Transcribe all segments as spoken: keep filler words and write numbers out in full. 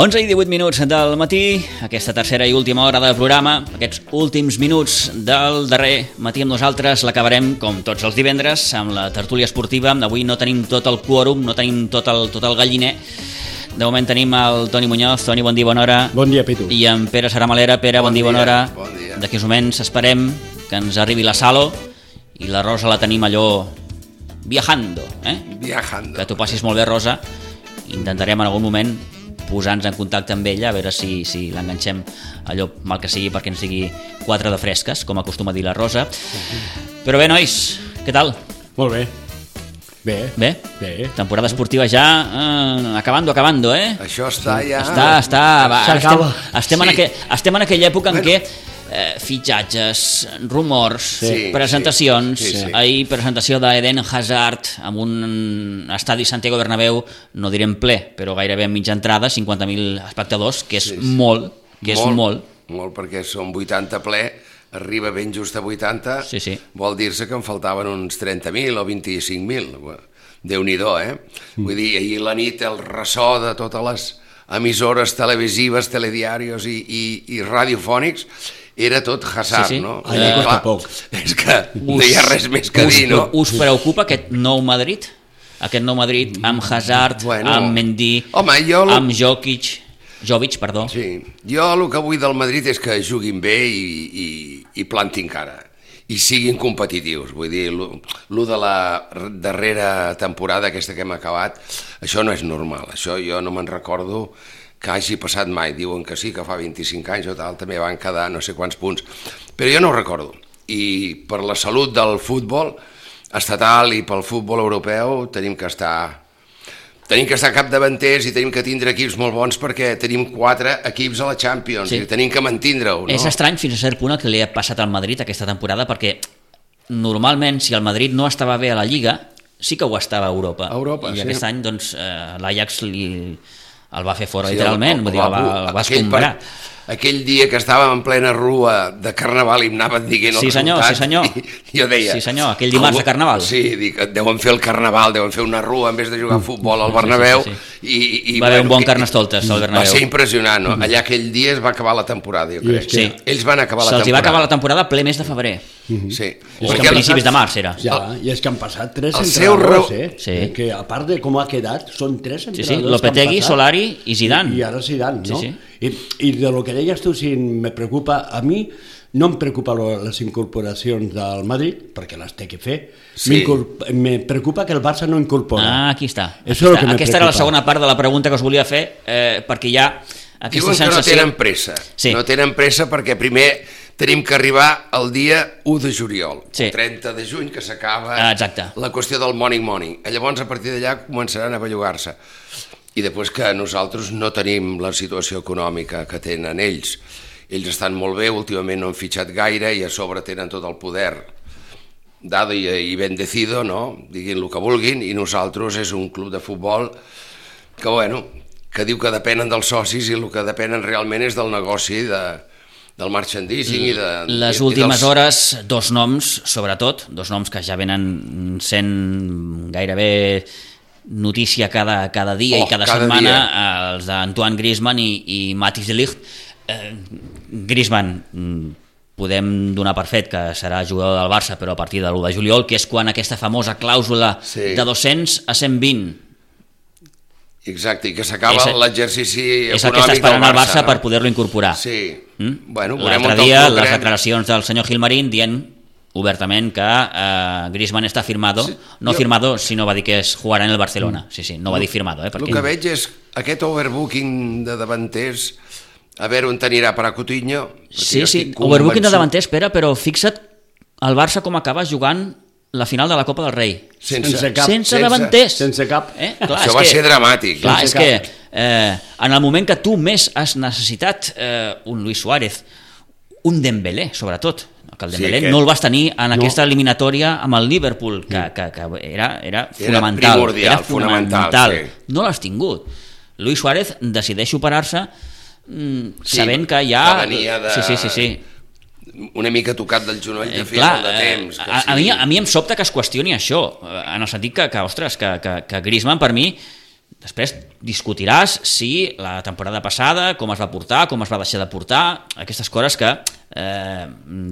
onze i divuit minuts del matí, aquesta tercera i última hora del programa, aquests últims minuts del darrer matí amb nosaltres l'acabarem, com tots els divendres, amb la tertúlia esportiva. Avui no tenim tot el quòrum, no tenim tot el, tot el galliner. De moment tenim el Toni Muñoz. Toni, bon dia, bona hora. Bon dia, Pitu. I en Pere Saramalera. Pere, bon, bon dia, bona hora. Bon dia. D'aquí uns moments esperem que ens arribi la Salo i la Rosa la tenim allò viajando, eh? Viajando. Que t'ho passis molt bé, Rosa. Intentarem en algun moment posar-nos en contacte amb ella, a veure si, si l'enganxem allò mal que sigui perquè ens digui quatre de fresques, com acostuma a dir la Rosa. Però bé, nois, què tal? Molt bé. Bé. Bé? Bé. Temporada esportiva ja eh, acabando, acabando, eh? Això està ja... Està, està... Va, estem, estem, Sí. en aqu... estem en aquella època en Bueno. què eh, fitxatges, rumors, Sí, presentacions. sí, sí, sí. Ahir presentació d'Eden Hazard amb un estadi Santiago Bernabéu, no direm ple, però gairebé en mitja entrada, cinquanta mil espectadors, que és Sí, sí. molt, que és molt. Molt, perquè són vuitanta ple, arriba ben just a vuitanta, Sí, sí. vol dir-se que en faltaven uns trenta mil o vint-i-cinc mil. Déu-n'hi-do, eh? Mm. Vull dir, ahir la nit el ressò de totes les emissores televisives, telediarios i, i, i radiofònics era tot Hazard, Sí, sí. no? Allà Eh, costa clar, poc. És que no hi ha res més que us, dir, no? Us preocupa aquest nou Madrid? Aquest nou Madrid amb Hazard, Bueno. amb Mendy, Home, jo lo- amb Jokic, Jovic, perdó. Sí, jo el que vull del Madrid és que juguin bé i, i, i plantin cara i siguin competitius. Vull dir, lo, lo de la darrera temporada aquesta que hem acabat, això no és normal. Això jo no me'n recordo que hagi passat mai. Diuen que sí, que fa vint-i-cinc anys o tal, també van quedar no sé quants punts. Però jo no ho recordo. I per la salut del futbol estatal i pel futbol europeu tenim que estar... Tenim que estar capdavanters i tenim que tindre equips molt bons perquè tenim quatre equips a la Champions Sí. i tenim que mantindre-ho, no? És estrany fins a cert punt el que li ha passat al Madrid aquesta temporada, perquè normalment si el Madrid no estava bé a la Lliga sí que ho estava a Europa, A Europa, i sí. aquest any doncs, eh, l'Ajax li, el va fer fora Sí, literalment, el- vull dir, el va, el va aquell escombrar. par- Aquell dia que estàvem en plena rua de Carnaval i em anaven dient el Sí, senyor, resultat, sí, senyor. i jo deia... Sí, senyor, aquell dimarts de Carnaval. Sí, dic, deuen fer el Carnaval, deuen fer una rua en vez de jugar a futbol al Bernabéu. sí, I, i, Va haver un bon i- Carnestoltes al Bernabéu. Va ser impressionant, no? Allà aquell dia es va acabar la temporada, jo I crec. és que- Sí. Ells van acabar la Se'ls hi temporada. va acabar la temporada ple mes de febrer. Sí. És Perquè que a el- principis de març era. Ja, i és que han passat tres el seu entrenadors, reu- eh? Sí. Que a part de com ha quedat, són tres Sí, entrenadors sí, que han Lopetegui, passat. Solari i Zidane. I, i ara Zidane, no? Sí, sí. I, I de lo que deies tu, si me preocupa, a mi no em preocupa lo, les incorporacions del Madrid, perquè les té que fer. Sí. Me preocupa que el Barça no incorpora. Ah, aquí està. Aquí Això és el està. que me Aquesta era la preocupa. segona part de la pregunta que us volia fer, eh, perquè hi ha aquesta Diuen que no sensació... tenen pressa. Sí. No tenen pressa perquè primer tenim que arribar al dia u de juliol, Sí. el trenta de juny, que s'acaba Ah, exacte. la qüestió del morning morning. Llavors, a partir d'allà, començaran a bellugar-se. I després que nosaltres no tenim la situació econòmica que tenen ells. Ells estan molt bé, últimament no han fitxat gaire i a sobre tenen tot el poder dado i, i bendecido, no? Diguin el que vulguin, i nosaltres és un club de futbol que, bueno, que diu que depenen dels socis i el que depenen realment és del negoci, de, del merchandising i de... Les i, últimes i dels... hores, dos noms, sobretot, dos noms que ja venen sent gairebé notícia cada, cada dia Oh, i cada, cada setmana, dia. els d'Antoine Griezmann i, i Matthijs de Ligt. Eh, Griezmann, mm, podem donar per fet que serà jugador del Barça, però a partir de l'u de juliol, que és quan aquesta famosa clàusula Sí. de dos-cents a cent vint Exacte, i que s'acaba És- l'exercici econòmic és el que està esperant el Barça no? per poder-lo incorporar. Sí. Mm? Bueno, veurem L'altre on el dia, col·locarem. les declaracions del senyor Gilmarín dient obertament que eh, Griezmann està firmado, Sí, no jo- firmado, sinó va dir que es jugarà en el Barcelona. Sí, sí, no va dir firmado. Eh, El perquè... que veig és aquest overbooking de davanters, a veure on anirà per a Coutinho. perquè Sí, jo sí, estic overbooking de convençut- davanter, espera, però fixa't el Barça com acaba jugant la final de la Copa del Rei. Sense, Sense cap. Sense davanters. Sense cap. Eh? Això és va que- ser dramàtic. Clar, Sense és que cap. eh, en el moment que tu més has necessitat eh, un Luis Suárez, un Dembélé, sobretot, que el Sí, Dembélé que- no el vas tenir en No. aquesta eliminatòria amb el Liverpool, que, que, que era, era fonamental. primordial, era fonamental. fonamental, sí. No l'has tingut. Luis Suárez decideix operar-se mm, Sí, sabent que ja... que venia de- Sí, sí, sí, sí. una mica tocat del genoll de Eh, fer clar, molt de temps. eh, Que a, a, sí. mi, a mi em sobta que es qüestioni això, eh, en el sentit que, que ostres, que, que, que Griezmann per mi després discutiràs si la temporada passada, com es va portar, com es va deixar de portar, aquestes coses que, eh,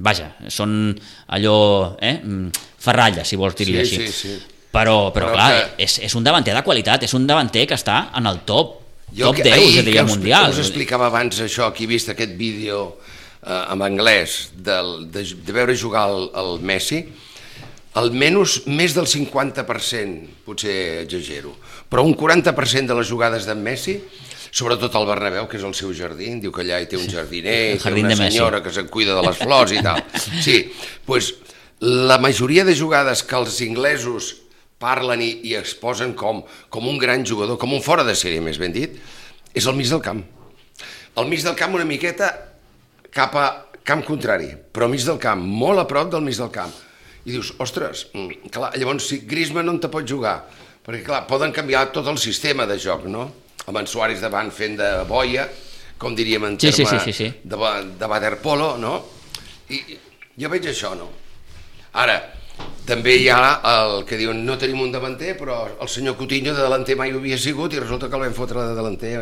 vaja, són allò, eh, ferralla, si vols dir-li sí, així. Sí, sí. Però, però, però clar, que... és, és un davanter de qualitat, és un davanter que està en el top, jo top deu, jo diria, mundial. Us explicava abans això, que he vist aquest vídeo eh, en anglès del, de, de veure jugar el, el Messi, almenys més del cinquanta per cent, potser exagero, però un quaranta per cent de les jugades d'en Messi, sobretot al Bernabéu, que és el seu jardí, diu que allà hi té un jardiner, té una senyora que se'n cuida de les flors i tal. Sí, doncs la majoria de jugades que els inglesos parlen i, i exposen com, com un gran jugador, com un fora de sèrie, més ben dit, és al mig del camp. Al mig del camp una miqueta cap a camp contrari, però al mig del camp, molt a prop del mig del camp. I dius, ostres, clar, llavors si Griezmann no te pot jugar, perquè clar, poden canviar tot el sistema de joc, no? Amb en Suárez davant fent de boia, com diríem en terme sí, sí, sí, sí. de, de waterpolo, no? I jo veig això, no? Ara, també hi ha el que diuen no tenim un davanter, però el senyor Coutinho de delanter mai ho havia sigut i resulta que el vam fotre de delanter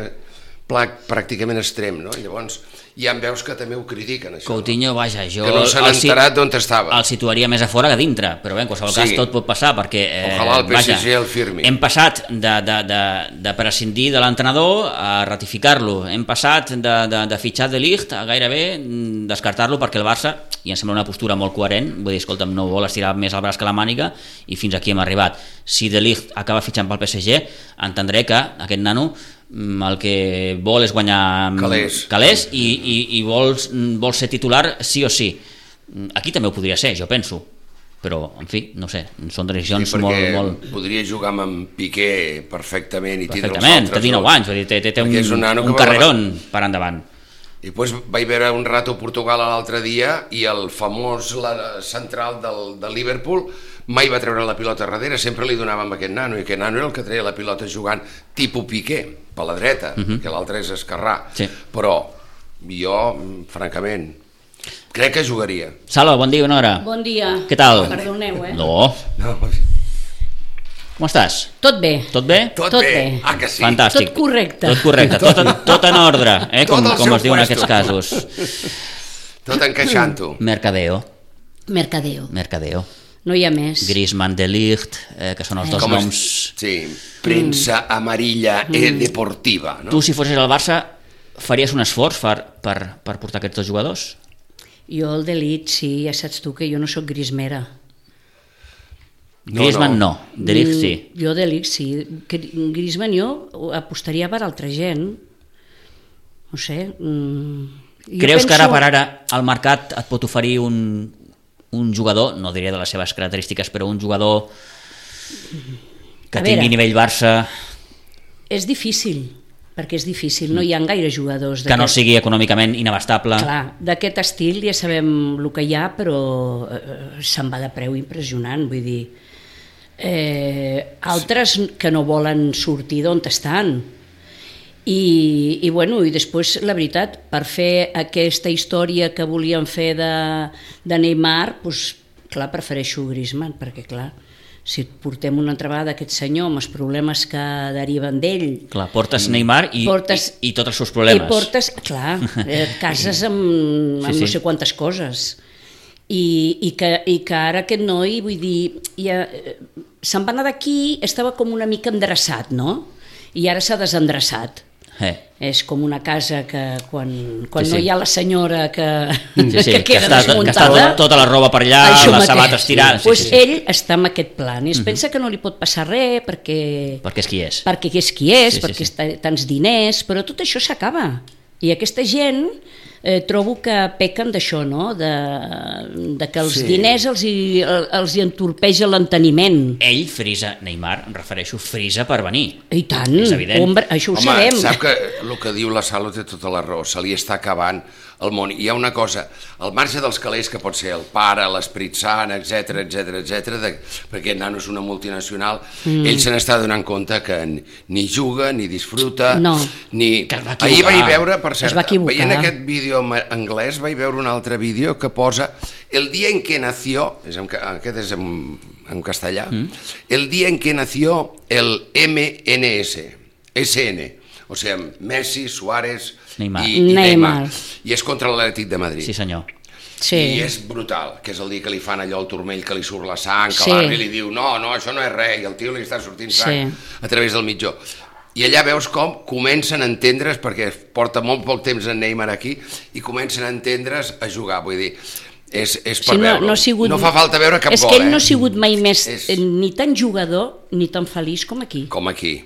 pràcticament extrem, no? I llavors ja em veus que també ho critiquen, això. Coutinho, vaja, jo... Que no s'han enterat d'on estava. El situaria més a fora que a dintre, però bé, en qualsevol sí. cas tot pot passar, perquè... Eh, Ojalà el P S G vaja, el firmi. Hem passat de, de, de, de prescindir de l'entrenador a ratificar-lo, hem passat de, de, de fitxar de Ligt a gairebé descartar-lo perquè el Barça, i em sembla una postura molt coherent, vull dir, escolta'm, no vol estirar més el braç que la màniga, i fins aquí hem arribat. Si de Ligt acaba fitxant pel P S G, entendré que aquest nano el que vol és guanyar calés, calés i, i, i vols, vols ser titular sí o sí. Aquí també ho podria ser, jo penso, però en fi, no sé, són decisions sí, molt, molt... podria jugar amb en Piqué perfectament i tindre els perfectament, altres té dinou anys, vull dir, té, té, té un, un, un carrerón per endavant. I després vaig veure un rato Portugal l'altre dia i el famós la, central del, del Liverpool mai va treure la pilota darrere, sempre li donava amb aquest nano, i aquest nano era el que treia la pilota jugant tipus Piqué, per la dreta, uh -huh. que l'altre és esquerrà. Sí. Però jo, francament, crec que jugaria. Salva, bon dia, bona hora. Bon dia. Què tal? Perdoneu, eh? No. No. Com estàs? Tot bé. Tot bé? Tot, tot bé. bé. Ah, que sí. Fantàstic. Tot correcte. Tot correcte, tot, tot en ordre, eh? com, com es diu en aquests casos. Tot encaixant-ho. Mercadeo. Mercadeo. Mercadeo. No hi ha més. Griezmann, De Ligt, eh, que són els dos Com noms... Es, sí, premsa mm. amarilla mm. e deportiva. No? Tu, si fossis al Barça, faries un esforç per, per, per portar aquests dos jugadors? Jo el De Ligt, sí, ja saps tu que jo no sóc grismera. No, Griezmann no, no. De Ligt sí. Mm, jo De Ligt sí. Griezmann jo apostaria per altra gent. No sé. Mm, Creus penso... que ara per ara el mercat et pot oferir un, un jugador, no diria de les seves característiques, però un jugador que a tingui veure, nivell Barça... És difícil, perquè és difícil, no hi ha gaire jugadors... Que no sigui econòmicament inabastable. Clar, d'aquest estil ja sabem el que hi ha, però eh, se'n va de preu impressionant, vull dir... Eh, altres que no volen sortir d'on estan. I, i, bueno, i després, la veritat, per fer aquesta història que volien fer de, de Neymar, doncs, clar, prefereixo Griezmann, perquè, clar, si portem una altra vegada aquest senyor amb els problemes que deriven d'ell... Clar, portes Neymar i, portes, i, i tots els seus problemes. I portes, clar, et cases amb, amb sí, sí. no sé quantes coses. I, i, que, i que ara aquest noi, vull dir, ja, se'n va anar d'aquí, estava com una mica endreçat, no? I ara s'ha desendreçat. Eh. És com una casa que quan, quan sí, sí. no hi ha la senyora que, sí, sí, que queda que està, desmuntada... Que està tota, tota la roba per allà, les sabates tirades... Sí, sí, sí. Pues ell està en aquest plan i es uh-huh. pensa que no li pot passar res perquè... Perquè és qui és. Perquè és qui és, sí, perquè sí, sí. està tants diners, però tot això s'acaba. I aquesta gent eh, trobo que pequen d'això, no? De, de que els sí. diners els hi, els hi entorpeja l'enteniment. Ell frisa, Neymar, em refereixo, frisa per venir. I tant, és evident. Ombra, això ho Home, sabem. Sap que el que diu la Salo té tota la raó, se li està acabant el món. Hi ha una cosa, al marge dels calés que pot ser el pare, l'Esperit Sant, etc etc etc, perquè el nano és una multinacional, mm. ell se n'està donant compte que ni juga, ni disfruta, no. ni... Ahir vaig veure, per cert, veient aquest vídeo anglès, vaig veure un altre vídeo que posa el dia en què nació, és en, aquest és en, en castellà, mm. el dia en què nació el M N S, esse ene, o sigui, Messi, Suárez Neymar. i, i Neymar. Neymar. I és contra l'Atlètic de Madrid. Sí, senyor. Sí. I és brutal, que és el dia que li fan allò al turmell, que li surt la sang, que Sí. l'àrbitre li diu no, no, això no és res, i el tio li està sortint sang Sí. a través del mitjó. I allà veus com comencen a entendre's, perquè porta molt poc temps en Neymar aquí, i comencen a entendre's a jugar, vull dir, és, és per Sí, no, veure. no, ha sigut, no fa falta veure cap és gol, que ell eh? no ha sigut mai més És- és... ni tan jugador ni tan feliç com aquí. Com aquí.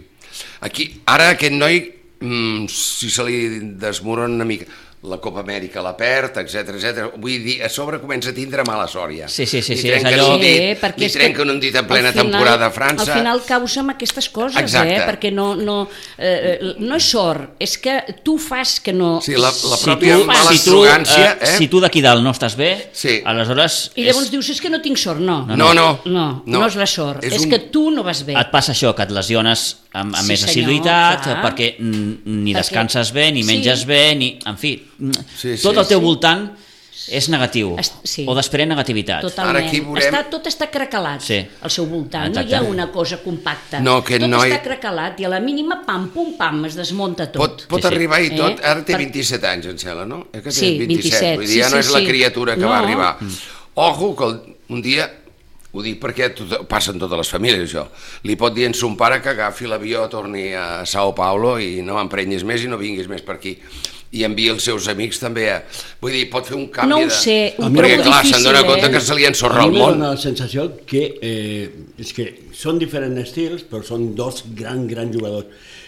Aquí, ara aquest noi, mm, si se li desmorona una mica, la Copa Amèrica la perd, etcètera, etcètera. Vull dir, a sobre comença a tindre mala sort ja. Sí, sí, sí, Li sí, és trenquen allò- un dit, Sí, perquè li és que trenquen un dit en plena al final- temporada a França. Al final causa amb aquestes coses, Exacte. eh? Perquè no, no, eh, no és sort, és que tu fas que no... Sí, la, la Si pròpia tu, mala si tu, arrogància, eh, eh? si tu d'aquí dalt no estàs bé, Sí. aleshores I llavors dius, és que no tinc sort, no. No, no. No, no, No. no és la sort, És és, un- que tu no vas bé. et passa això, que et lesiones amb, amb Sí, més senyor, assiduïtat, clar. perquè mm, ni Perquè- descanses bé, ni Sí. menges bé, ni... En fi, mm, Sí, sí, tot al teu sí. voltant és negatiu, Es- sí. o desprèn negativitat. Totalment. Ara aquí veurem- Està, tot està cracalat Sí. al seu voltant, Exacte. no hi ha una cosa compacta. No, aquest tot noi- està cracalat i a la mínima, pam, pum, pam, es desmunta tot. Pot, pot Sí, sí. arribar i tot, Eh? ara té Per- vint-i-set anys, em sembla, no? Eh que té Sí, vint-i-set, vull dir, ja sí, no sí, és la sí. criatura que No. va arribar. Ojo, que el- un dia, ho dic perquè tot, passa en totes les famílies, això, li pot dir a son pare que agafi l'avió, torni a Sao Paulo i no m'emprenyis més i no vinguis més per aquí. I envia els seus amics també a... Vull dir, pot fer un canvi No ho de... sé, ho perquè, trobo clar, difícil, se'n dona eh? compte que se li ensorra A el mi me món. dona la sensació que, eh, és que són diferents estils, però són dos grans, grans jugadors,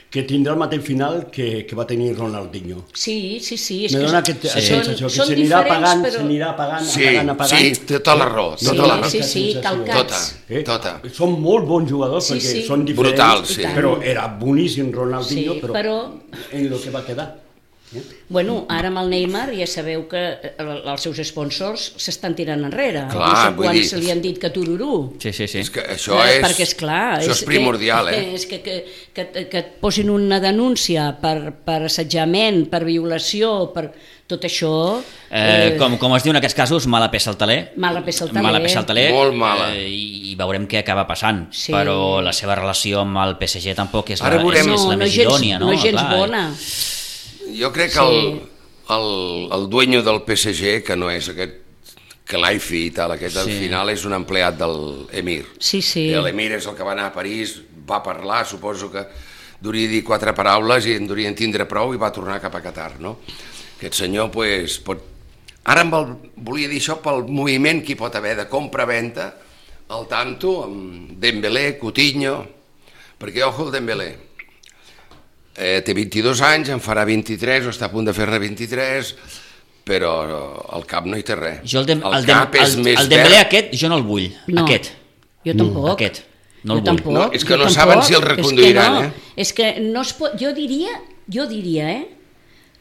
que tindrà el mateix final que, que va tenir Ronaldinho. Sí, sí, sí. És Me que dona són- aquesta són- sensació, que són s'anirà diferents, apagant, però- s'anirà apagant, Sí, apagant, apagant. sí, té tota la raó, Sí, tota la raó. sí, sí, Sensació. calcats. Tota, tota. Eh? Són molt bons jugadors Sí, perquè sí. són diferents, Brutal, sí. però era boníssim Ronaldinho, Sí, però, però- en lo que va quedar. Bueno, ara amb el Neymar ja sabeu que eh, els seus sponsors s'estan tirant enrere. Clar, no sé vull quants dir- se li han dit que tururú. Sí, sí, sí. És que això Eh, és... perquè és clar, això és primordial, que, eh? És que, que, que, que et posin una denúncia per, per assetjament, per violació, per tot això... Eh, com, com es diu en aquests casos, mala peça al taler. Mala peça al taler. Mala peça al taler. Molt mala. Eh, i, I veurem què acaba passant. Sí. Però la seva relació amb el P S G tampoc és Ara la, veurem- és, és no, la no més gens, idònia, no? no gens Clar, bona. Jo crec que Sí. el, el, el dueño del P S G, que no és aquest Kelaifi i tal, aquest al Sí. final és un empleat del Emir. Sí, sí. I l'Emir és el que va anar a París, va parlar, suposo que duria dir quatre paraules i en durien tindre prou i va tornar cap a Qatar, no? Aquest senyor, pues, pot... Ara em vol, volia dir això pel moviment que hi pot haver de compra-venta al tanto amb Dembélé, Coutinho, perquè, ojo, el Dembélé, eh, té vint-i-dos anys, en farà vint-i-tres, o està a punt de fer-ne vint-i-tres, però al cap no hi té res. Jo el, dem, el, el dem, cap és el, més el Dembélé verd. aquest jo no el vull. No, Aquest. Jo tampoc. Aquest. No el jo vull. tampoc, No, és que jo no tampoc. saben si el reconduiran, és que no, eh? És que no es pot, jo diria, jo diria, eh,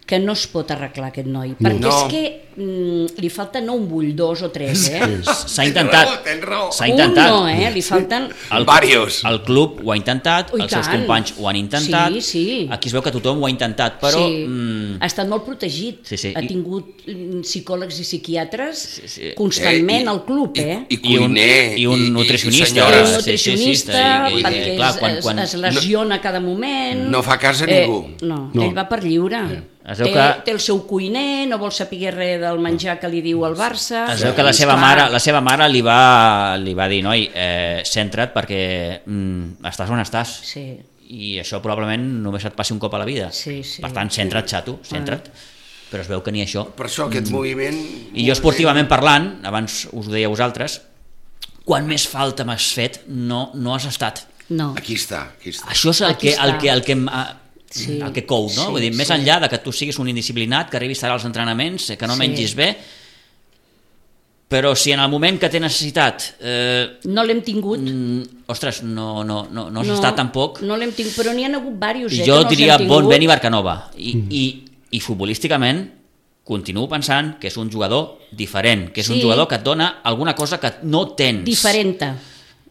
que no es pot arreglar aquest noi, perquè No. és que mm, li falta no un bull, dos o tres, eh? S'ha Tens intentat. raó, tens raó. S'ha intentat. Un no, eh? Li falten... El, Varios. el club ho ha intentat, Oh, i els seus tant. companys ho han intentat, Sí, sí. aquí es veu que tothom ho ha intentat, però... sí, Mm, ha estat molt protegit. Sí, sí. Ha I- tingut mm, psicòlegs i psiquiatres Sí, sí. constantment Eh, i- al club, i- eh? I, I un, cuiner. i un nutricionista. I, senyora, un sí, nutricionista, sí, sí, sí, perquè i, clar, es, quan- quan- es, es lesiona cada moment. No fa cas a Eh, ningú. no, No. ell va per lliure. Es veu Té, que- té el seu cuiner, no vol saber res del menjar que li diu el Barça. Es veu que la seva Clar. mare, la seva mare li, va, li va dir, noi, eh, centra't perquè mm, estàs on estàs. Sí. I això probablement només et passi un cop a la vida. Sí, sí. Per tant, centra't, xato, centra't. Però es veu que ni això. Per això aquest moviment... I jo esportivament parlant, abans us ho deia a vosaltres, quan més falta m'has fet, no, no has estat. No. Aquí està, aquí està. Això és el Aquí que, el està. que, el que, em- ah, Sí. el que cou, no? Sí, Vull dir, més sí. enllà de que tu siguis un indisciplinat, que arribis tard als entrenaments, que no Sí. mengis bé, però si en el moment que té necessitat eh, No l'hem tingut. mm, ostres, no, no, no, no has estat tampoc, No l'hem tingut, però n'hi ha hagut diversos, eh, jo que no els diria hem bon tingut. vent i Barcanova. I, mm. i, i futbolísticament continuo pensant que és un jugador diferent, que és Sí. un jugador que et dona alguna cosa que no tens. Diferenta,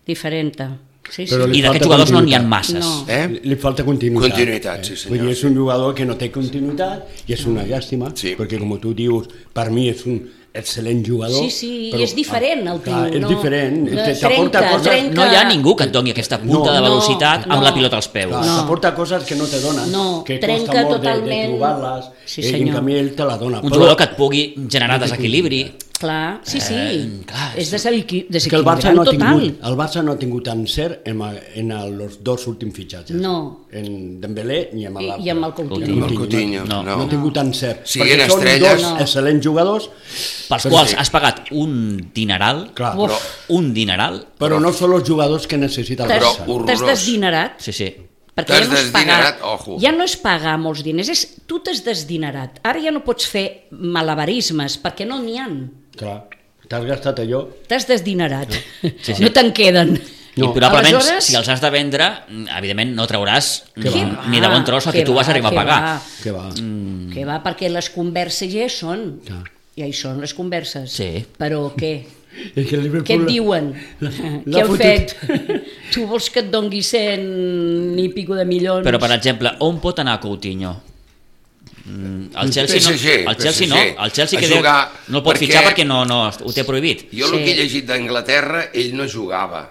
diferenta. Sí, sí. Però li I d'aquests falta jugadors no n'hi ha continuïtat. masses. No. Eh? Li, li falta continuïtat. Continuïtat, sí, senyor. Vull dir, és un jugador que no té continuïtat i és una llàstima, Sí. perquè com tu dius, per mi és un excel·lent jugador. Sí, sí, i és diferent el tio. Clar, és no, diferent. no, T'aporta trenca, coses... trenca. No hi ha ningú que et doni aquesta punta No, de velocitat no, amb no. la pilota als peus. Clar, No. t'aporta coses que no te donen, No, que trenca costa molt de, de totalment. trobar-les, Sí, eh, i en senyor. canvi ell te la dona. Un Però- jugador que et pugui generar desequilibri. Clar, sí, sí. Eh, clar, és sí. desequil- És que el Barça, desequilibrant no ha total. tingut, el Barça no ha tingut encert en, en els dos últims fitxatges. No. En Dembélé ni amb I, l'altre. I amb el Coutinho. Amb el Coutinho, no. no. No ha tingut encert. Siguin perquè són estrelles. dos No. excel·lents jugadors, Pels però quals sí. has pagat un dineral, clar, Uf. però, un dineral, però no són els jugadors que necessita el T'has Però Barça. horrorós. t'has desdinerat. sí, sí. Perquè T'has ja no és pagar, desdinerat, ojo. ja no és pagar molts diners, és tu t'has desdinerat. Ara ja no pots fer malabarismes, perquè no n'hi ha. Clar, t'has gastat allò. T'has desdinerat. Sí, sí. No te'n queden. No. I No. probablement, Aleshores- si els has de vendre, evidentment no trauràs Què ni, va? ni de bon tros el que, Què tu vas va, arribar a què pagar. va. Que va. Mm. Que va, perquè les converses ja hi són. Clar. Ja hi són les converses. Sí. Però què? És que el Liverpool Què et diuen? l'ha- Què l'ha han fotut. fet? Tu vols que et dongui cent i pico de milions? Però, per exemple, on pot anar Coutinho? Mm, el Chelsea, P S G, no, el Chelsea P S G. no, el Chelsea A que deu, jugar, no el pot perquè- fitxar perquè no, no, ho té prohibit. Jo el Sí. que he llegit d'Anglaterra, ell no jugava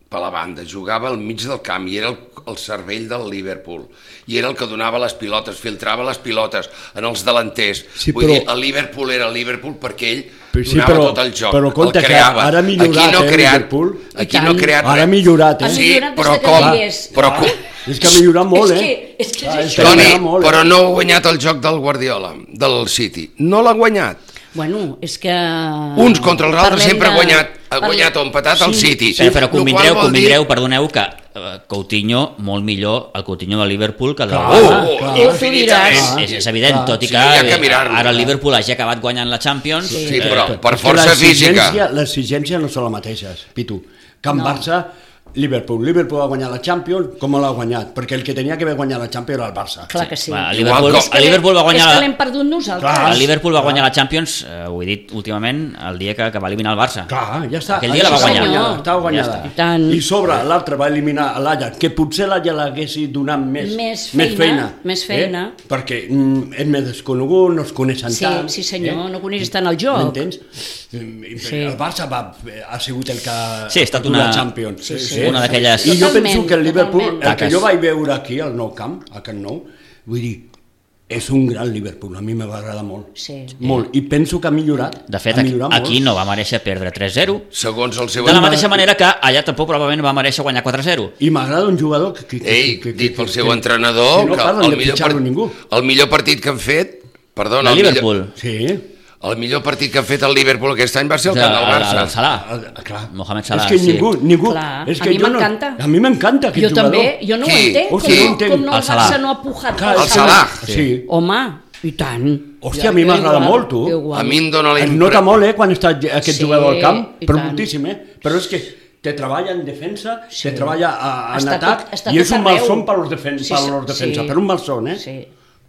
per la banda, jugava al mig del camp i era el, el cervell del Liverpool i era el que donava les pilotes, filtrava les pilotes en els delanters. Sí, Vull però- dir, el Liverpool era el Liverpool perquè ell Però sí, donava però- tot el joc, però compte el que creava. ara ha millorat, aquí no eh, creat, Liverpool. Aquí I no ha tant. creat Ara ha res. millorat, eh? Ha Sí, millorat des però de que com? no hi és. Però com? És que ha millorat molt, és eh? Que, és que és Ah, és això. que ha Toni, millorat molt, eh? però no ha guanyat el joc del Guardiola, del City. No l'ha guanyat. Bueno, és que... Uns contra els altres Parlem sempre ha de- guanyat, ha parlem- guanyat o empatat el Sí. City. Sí, però Lo qual convindreu, vol convindreu, dir- perdoneu, que eh, Coutinho, molt millor el Coutinho de Liverpool que el del Clar, Barça. Oh, clar. oh, Tu infinitament. diràs. És, és evident, Clar. tot i Sí, que hi ha que eh, mirar-lo. ara el Liverpool hagi acabat guanyant la Champions. Sí, eh, però per És que força física. l'exigència- L'exigència no són les mateixes, Pitu. Que en No. Barça, Liverpool. Liverpool va guanyar la Champions, com l'ha guanyat? Perquè el que tenia que haver guanyat la Champions era el Barça. Clar que sí. Va, el Igual Liverpool, com- És que el Liverpool va l'hem- guanyar... És que l'hem perdut nosaltres. Clar. El Liverpool va guanyar la Champions, eh, ho he dit últimament, el dia que, que va eliminar el Barça. Clar, ja està. Aquell dia la va Estava guanyar. guanyada, estava guanyada. Ja està. I tant. I sobre l'altre va eliminar l'Ajax, que potser l'Ajax l'haguessi donat més, Més més feina, feina. més feina. Eh? Perquè mm, és més desconegut, no es coneixen Sí, tant. sí senyor, eh? no coneixes tant el joc. M'entens? Mm, Sí. El Barça va, ha sigut el que Sí, ha estat dut una- la Champions. Sí, sí. Una d'aquelles- I jo Totalment, penso que el Liverpool, totalment. el que Taques. jo vaig veure aquí, al Nou Camp, a Camp Nou, vull dir, és un gran Liverpool, a mi me va agradar molt. Sí. Molt, i penso que ha millorat. De fet, ha aquí, millorat aquí molt. no va mereixer perdre tres zero, Segons el seu... de la mateixa manera que allà tampoc probablement va mereixer guanyar quatre zero. I m'agrada un jugador que... que, que Ei, que, que, dit pel que- seu que- entrenador, que no que parlen el de millor, fitxar-lo ningú. el millor partit que han fet... Perdona, De el Liverpool. millor, Sí. el millor partit que ha fet el Liverpool aquest any va ser el El, camp del el, el Barça. Salah. Ah, clar. Mohamed Salah, És que sí. ningú, ningú... Clar, és a que mi jo no- m'encanta. A mi m'encanta aquest Jo jugador. també, jo no Qui? ho entenc, com, Hòstia, no no, entenc. com no El el Salah. Barça no ha pujat Clar, El Salah. Sí. Home, i tant. Hòstia, Jo- a mi jo m'agrada igual, molt, tu. jo igual. A mi em dóna la Es impre- nota molt, eh, quan està aquest Sí, jugador al camp, i però tant. moltíssim, eh? Però és que te treballa en defensa, Sí. te treballa a, en Està atac, tot- està i és tot un arreu. malson per als defen Sí, per sí, als defensa, sí. per un malson, eh? Sí.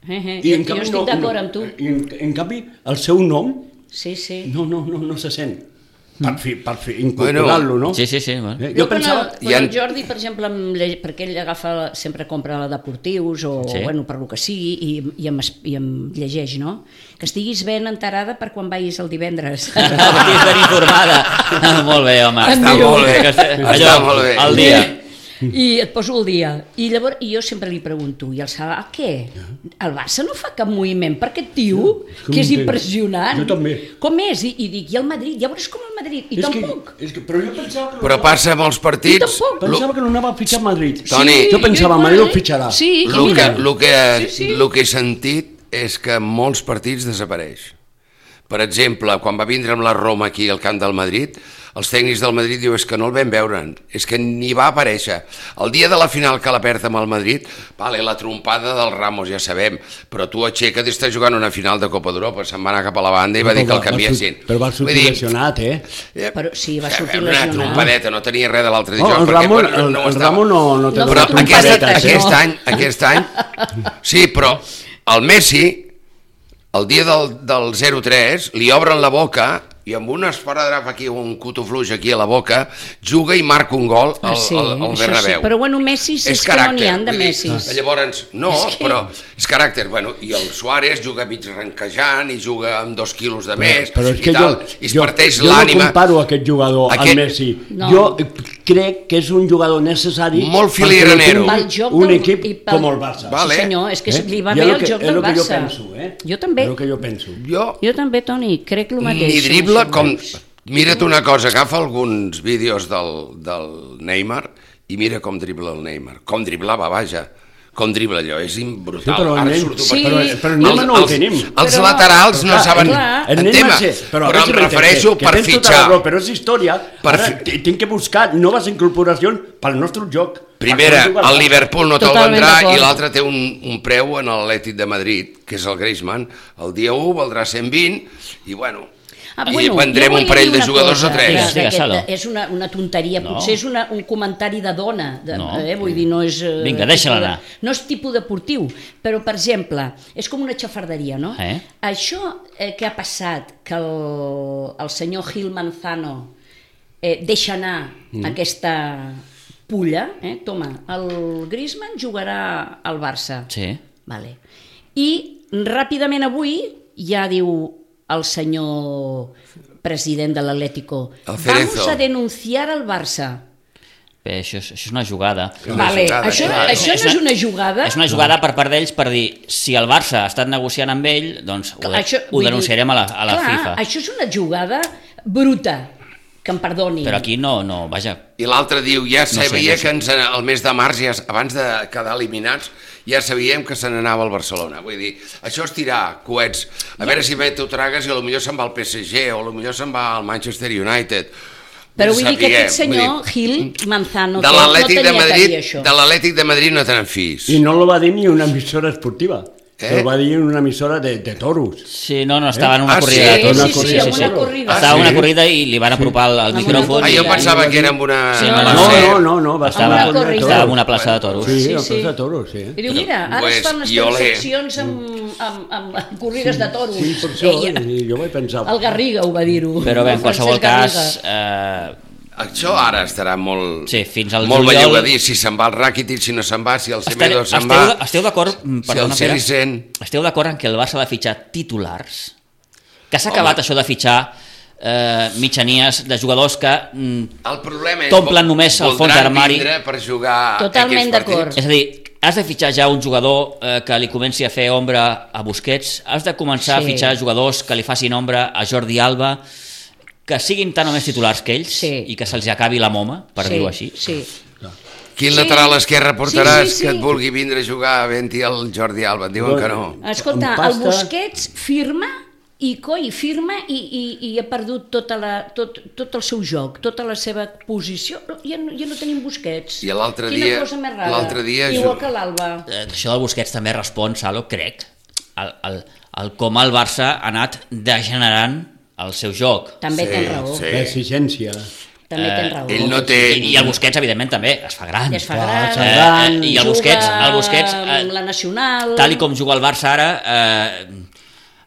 Eh, eh. I Jo, en jo canvi estic no- d'acord no- amb tu. I en, en canvi, el seu nom Sí, sí. no, no, no, no se sent. Per, fi, per fi, incorporar-lo, no? Sí, sí, sí. Bueno. Eh, Jo, Jo quan, pensava... el, quan Hi ha- el Jordi, per exemple, em lle... perquè ell agafa, sempre compra la deportius o, Sí. bueno, per lo que sigui, i, i, em, es- i em llegeix, no? Que estiguis ben enterada per quan vagis el divendres. Estiguis ben informada. Molt bé, home. Està molt bé, Que se- està allò, molt bé. al dia. I et poso el dia. I llavors i jo sempre li pregunto, i el Salah, què? El Barça no fa cap moviment per aquest tio, és que que és no entenc. impressionant. Jo també. Com és? I, i dic, i el Madrid? Ja veuràs com el Madrid. I és tampoc. Que, és que, però jo pensava que... Però passa molts partits... I tampoc. Pensava que no anava a fitxar a Madrid. Toni, jo pensava, igual, Madrid ho eh? fitxarà. Sí, i El que, mira. lo que, Sí, sí. lo que he sentit és que en molts partits desapareix. Per exemple, quan va vindre amb la Roma aquí al camp del Madrid, els tècnics del Madrid diu és que no el vam veure, és que ni va aparèixer. El dia de la final que la perd amb el Madrid, vale, la trompada del Ramos, ja sabem, però tu aixeca't i estàs jugant una final de Copa d'Europa, se'n va anar cap a la banda i va dir que el canviessin. Però va sortir Vull dir, lesionat, eh? eh, Però sí, va sortir una lesionat. trompadeta, no tenia res de l'altre Oh, dijous. el perquè, Ramon, bueno, el, no ho el estava. Ramon no, no té No, Però dona aquest, trompadetes, aquest no. any, aquest any, sí, però el Messi, el dia del, del zero tres, li obren la boca i amb un esparadrap aquí, un cutofluix aquí a la boca, juga i marca un gol al, Ah, sí, al, al això Bernabéu. sí. Però bueno, Messi és, que no n'hi ha de vull dir, Messis. Llavors, no, És que- però és caràcter. Bueno, i el Suárez juga mig ranquejant i juga amb dos quilos de més Però és que i tal, jo, i es jo, parteix jo no l'ànima. comparo aquest jugador Aquest- amb Messi. No. Jo crec que és un jugador necessari Molt perquè filigranero. tingui Pel joc un del- equip i pel- com el Barça. Vale. Sí senyor, és que Eh? li va I bé és el que- joc és del el que jo Barça. penso, eh? Jo també. És el que jo penso. Jo Jo també, Toni, crec el mateix. ni dribla Això. com... Mira't una cosa, agafa alguns vídeos del, del Neymar i mira com dribla el Neymar. Com driblava, vaja. Com dribla allò, és brutal. Sí, però el Ara nen- surto Sí, Però, però el Els- Neymar no ho els- tenim. Els Però- laterals no Clar, saben clar. El en nen tema, va ser, però, a però veure si em m'entens, refereixo que, per que tens tota fitxar. la raó, però és història. Per Ara fi- t- tinc que buscar noves incorporacions pel nostre joc. Primera, Per jugar el Liverpool no te'l Totalment vendrà d'acord. i l'altre té un, un preu en l'Atlètic de Madrid, que és el Griezmann. El dia u valdrà cent vint i bueno, Ah, i bueno, vendrem jo un volia parell dir de una jugadors cosa, o tres. que- Digues, digues, que Salo. És una, una tonteria, No. potser és una, un comentari de dona, de, No. eh? Vull dir, no és... eh, Vinga, deixa-la tipus de- anar. No és tipus deportiu, però, per exemple, és com una xafarderia, no? Eh? Això eh, que ha passat, que el, el senyor Gil Manzano eh, deixa anar mm. aquesta pulla, eh? Toma, el Griezmann jugarà al Barça. Sí. Vale. I ràpidament avui ja diu el senyor president de l'Atlético, El Cerezo. vamos a denunciar al Barça. Bé, això, és, això és una jugada. Una Vale, jugada, això, clar. això no és una jugada? És una jugada per part d'ells per dir, si el Barça ha estat negociant amb ell, doncs ho, de, Això, ho vull dir, denunciarem a la, a la clar, FIFA. Això és una jugada bruta, que em perdoni. Però aquí no, no, vaja. I l'altre diu, ja sé, sabia no sé. que ens, el mes de març, ja, abans de quedar eliminats, ja sabíem que se n'anava al Barcelona. Vull dir, això és tirar coets. A veure si bé t'ho tragues i potser se'n va al P S G o potser se'n va al Manchester United. Però vull dir que Sapiguem, aquest senyor, vull dir, Gil Manzano, de que no l'Atlètic tenia de que Madrid, dir això. de l'Atlètic de Madrid no tenen fills. I no lo va dir ni una emissora esportiva. Eh? Ho va dir en una emissora de, de toros. Sí, no, no, estava en una Ah, corrida sí? de toros. Una Sí, sí, corrida sí, de una toros. corrida. Estava en sí? una corrida i li van apropar el, el Amb una micròfon. Ah, i- jo corrida. pensava que era amb una... Sí, no, no, no, sé. no, no, no, va Estava, Una corrida. estava en una plaça de toros. Sí, Sí, la sí. plaça de toros, sí. I diu, mira, ara Pues, es fan les jo l'he- transaccions amb, amb, amb, amb corrides de toros. Sí, per això, Ella, i jo vaig pensar... el Garriga ho va dir-ho. Però bé, en El qualsevol Francesc cas, eh, Això ara estarà molt, Sí, fins al molt juliol- bellugadí, si se'n va el Rakitic, si no se'n va, si el Semedo esteu, se'n va, esteu d'acord, mm, si el perdona, Pere, Sericen... esteu d'acord en que el Barça ha de fitxar titulars? Que s'ha acabat això de fitxar eh, mitjanies de jugadors que mm, El problema és... t'omplen només el fons voldran d'armari. vindre per jugar Totalment aquests d'acord. partits. És a dir, has de fitxar ja un jugador eh, que li comenci a fer ombra a Busquets, has de començar Sí. a fitxar jugadors que li facin ombra a Jordi Alba, que siguin tan o més titulars que ells Sí. i que se'ls acabi la moma, per sí, dir-ho així. Sí. Quin Sí. lateral esquerre portaràs Sí, sí, sí. que et vulgui vindre a jugar a Venti el Jordi Alba? Et diuen que no. Escolta, Amb el pasta- Busquets firma i coi, firma i, i, i ha perdut tota la, tot, tot el seu joc, tota la seva posició. Ja, no- ja no tenim Busquets. I l'altre Quina dia- cosa més rara. l'altre dia Igual ju- que l'Alba. Eh, això del Busquets també respon, Salo, crec, al, al, al com el Barça ha anat degenerant el seu joc. També Sí, tens raó. sí. L'exigència. També tens raó. ell no té- I, I el Busquets, evidentment, també es fa gran. Ja es fa Clar, gran, es fa gran. Eh, I el juga Busquets, el Busquets eh, amb la nacional... tal i com juga el Barça ara, eh,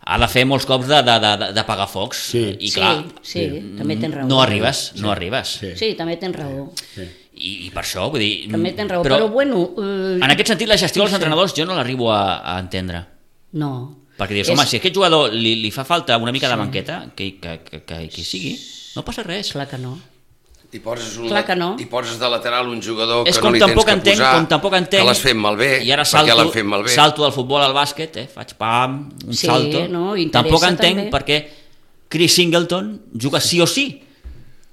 ha de fer molts cops de, de, de, de pagar focs. Sí. I clar, sí, sí, també tens raó. no arribes, no arribes. Sí. Sí, també tens raó. I, I per això, vull dir... També tens raó, però, bueno... Eh, En aquest sentit, la gestió dels entrenadors jo no l'arribo a, a entendre. No. Perquè dius, home, si a aquest jugador li, li fa falta una mica de banqueta, que, que, que, que, que hi sigui, no passa res. Clar que no. I poses, un, Clar que no. I poses de lateral un jugador És que com no li tens tampoc que entenc, posar, com tampoc entenc, que l'has fet malbé, i ara perquè salto, l'han fet malbé. salto del futbol al bàsquet, eh, faig pam, un Sí, salto. no, interessa tampoc entenc també. per què Chris Singleton juga sí o sí,